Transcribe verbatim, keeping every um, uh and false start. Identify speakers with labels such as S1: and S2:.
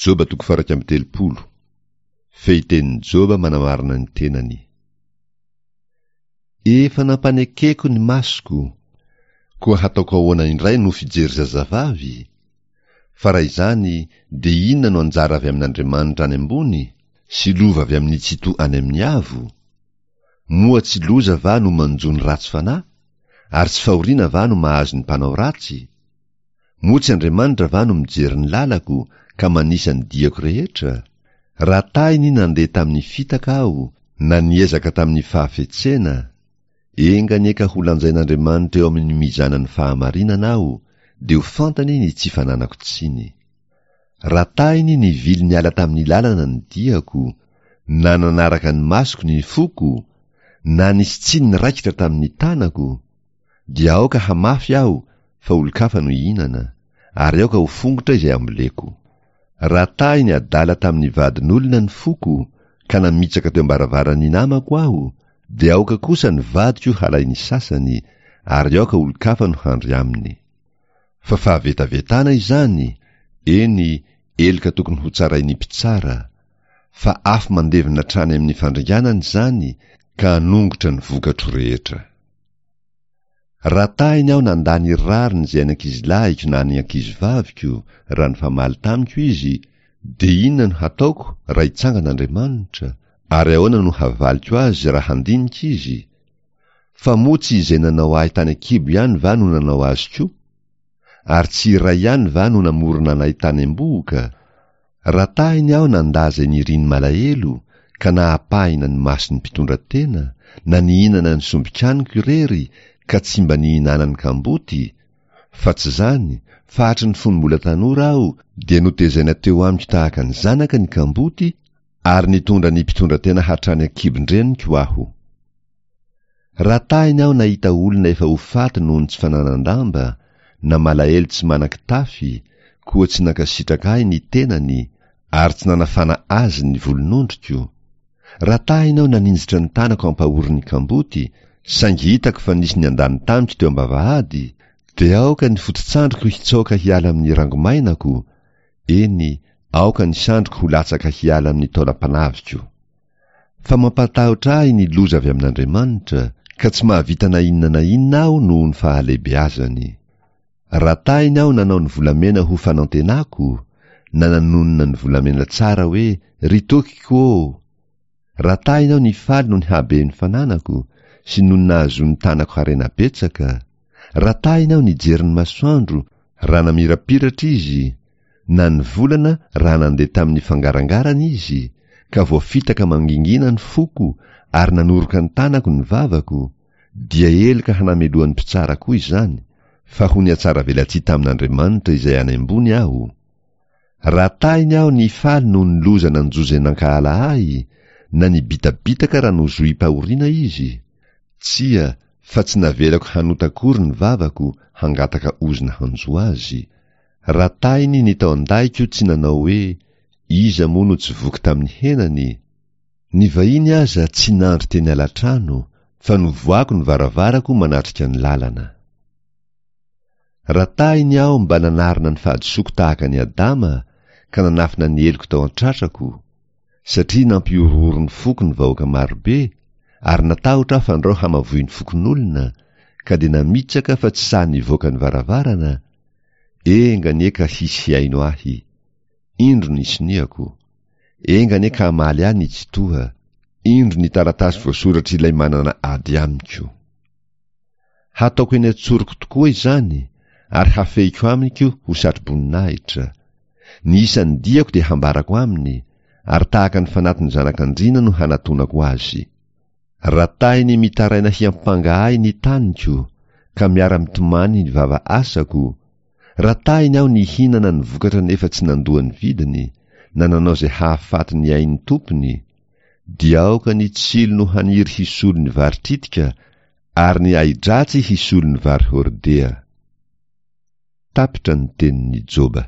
S1: Joba toko faha-iraika amby telopolo. Fehitenin'i Joba manamarina ny tenany. Efa nampanekeko ny masoko, koa hataoko ahoana indray no fijery zazavavy? Fa raha izany, dia inona no anjara avy amin'Andriamanitra any ambony, sy lova avy amin'ny Tsitoha any amin'ny avo? Moa tsy loza va no manjo ny ratsy fanahy, ary tsy fahoriana va no mahazo ny mpanao ratsy? Moa tsy Andriamanitra va no mijery ny lalako ka manisa ny diako rehetra? Raha tahiny nandeha tamin'ny fitaka aho, na niezaka tamin'ny fahafetsena, enga anie ka ho lanjain'Andriamanitra eo amin'ny mizanan'ny fahamarinana aho, dia ho fantany ny tsy fananako tsiny. Raha tahiny nivily niala tamin'ny lalana ny diako, na nanaraka ny masoko ny foko, na nisy tsiny niraikitra tamin'ny tanako, dia aoka hamafy aho fa olon-kafa no hihinana, ary aoka ho fongotra izay amboleko. Raha tahiny adala tamin'ny vadin'olona ny foko, ka namitsaka teo am-baravaran'ny namako aho, dia aoka kosa ny vadiko halain'ny sasany, ary aoka olon-kafa no handry aminy. Fa fahavetavetana izany, eny, heloka tokony hotsarain'ny mpitsara. Fa afo mandevona hatrany amin'ny fandringanana izany, ka hanongotra ny vokatro rehetra. Raha tahiny aho nandà ny rariny izay any ankizilahiko na any ankizivaviko, raha nifamaly tamiko izy, dia inona no hataoko raha hitsangana Andriamanitra, ary ahoana no havaliko azy raha handinika izy? Fa moa tsy izay nanao ahy tany an-kibo ihany va no nanao azy koa? Ary tsy iray ihany va no namorona anay tany am-bohoka? Raha tahiny aho nandà izay niriny malahelo, ka nahapahina ny mason'ny mpitondra tena, na nihinana ny sombin-kaniko irery, ka tsy mba nihinanany kamboty, fa tsy izany, fa hatry ny fony mbola tanora aho dia notezaina teo amiko tahaka ny zanaka ny kamboty, ary nitondra ny mpitondra tena hatrany an-kibon-dreniko aho. Raha tahiny aho nahita olona efa ho faty noho ny tsy fananan-damba, na malahelo tsy manan-kitafy, koa tsy nankasitraka ahy ny tenany, ary tsy nanafana azy ny volonondriko. Raha tahiny aho naninjitra ny tanako ampahorin'ny kamboty, saingy hitako fa nisy niandany tamiko teo am-bavahady, dia aoka ny foto-tsandriko hitsoaka hiala amin'ny rangomainako, eny, aoka ny sandriko ho latsaka hiala amin'ny taolam-panaviko. Fa mampatahotra ahy ny loza avy amin'Andriamanitra, ka tsy mahavita na inona na inona aho noho ny fahalehibeazany. Raha tahiny aho nanao ny volamena ho fanantenako, na nanonona ny volamena tsara hoe, Ry tokiko ô! Raha tahiny aho nifaly noho ny haben'ny fananako, sy noho ny nahazoan'ny tanako harena betsaka, raha tahiny aho nijery ny masoandro raha namirapiratra izy, na ny volana raha nandeha tamin'ny fangarangarana izy, ka voafitaka mangingina ny foko ary nanoroka ny tanako ny vavako, dia heloka hanamelohan'ny mpitsara koa izany, fa ho nihatsaravelatsihy tamin'Andriamanitra izay any ambony aho. Raha tahiny aho nifaly noho ny loza nanjo izay nankahala ahy, na nibitabitaka raha nozohim-pahoriana izy, tsia, fa tsy navelako hanota akory ny vavako hangataka ozona hanjo azy. Raha tahiny ny tao an-dahiko tsy nanao hoe, Iza moa no tsy voky tamin'ny henany? Ny vahiny aza tsy nandry teny alatrano, fa novohako ny varavarako manatrika ny lalana. Raha tahiny aho mba nanarina ny fahadisoako tahaka an'i Adama, ka nanafina ny heloko tao an-tratrako, satria nampihorohoro ny foko ny vahoaka marobe, ary natahotra aho fandrao hamavoy ny fokonolona, ka dia namitsaka fa tsy sahy nivoaka ny varavarana, enga anie ka hisy hihaino ahy. Indro ny soniako. Enga anie ka hamaly ahy ny Tsitoha. Indro ny taratasy voasoratr'ilay manana ady amiko. Hataoko eny an-tsoroko tokoa izany, ary hafehiko amiko ho satroboninahitra. Ny isan'ny diako dia hambarako aminy, ary tahaka ny fanatin'ny zanak'andriana no hanatonako azy. Raha tahiny mitaraina hiampanga ahy ny taniko, ka miara-mitomany ny vava asako, raha tahiny aho nihinana ny vokatra nefa tsy nandoa ny vidiny, na nanao izay hahafaty ny ain'ny tompony, dia aoka ny tsilo no haniry hisolo ny vary tritika ary ny ahi-dratsy hisolo ny vary hordea. Tapitra ny tenin'i Joba.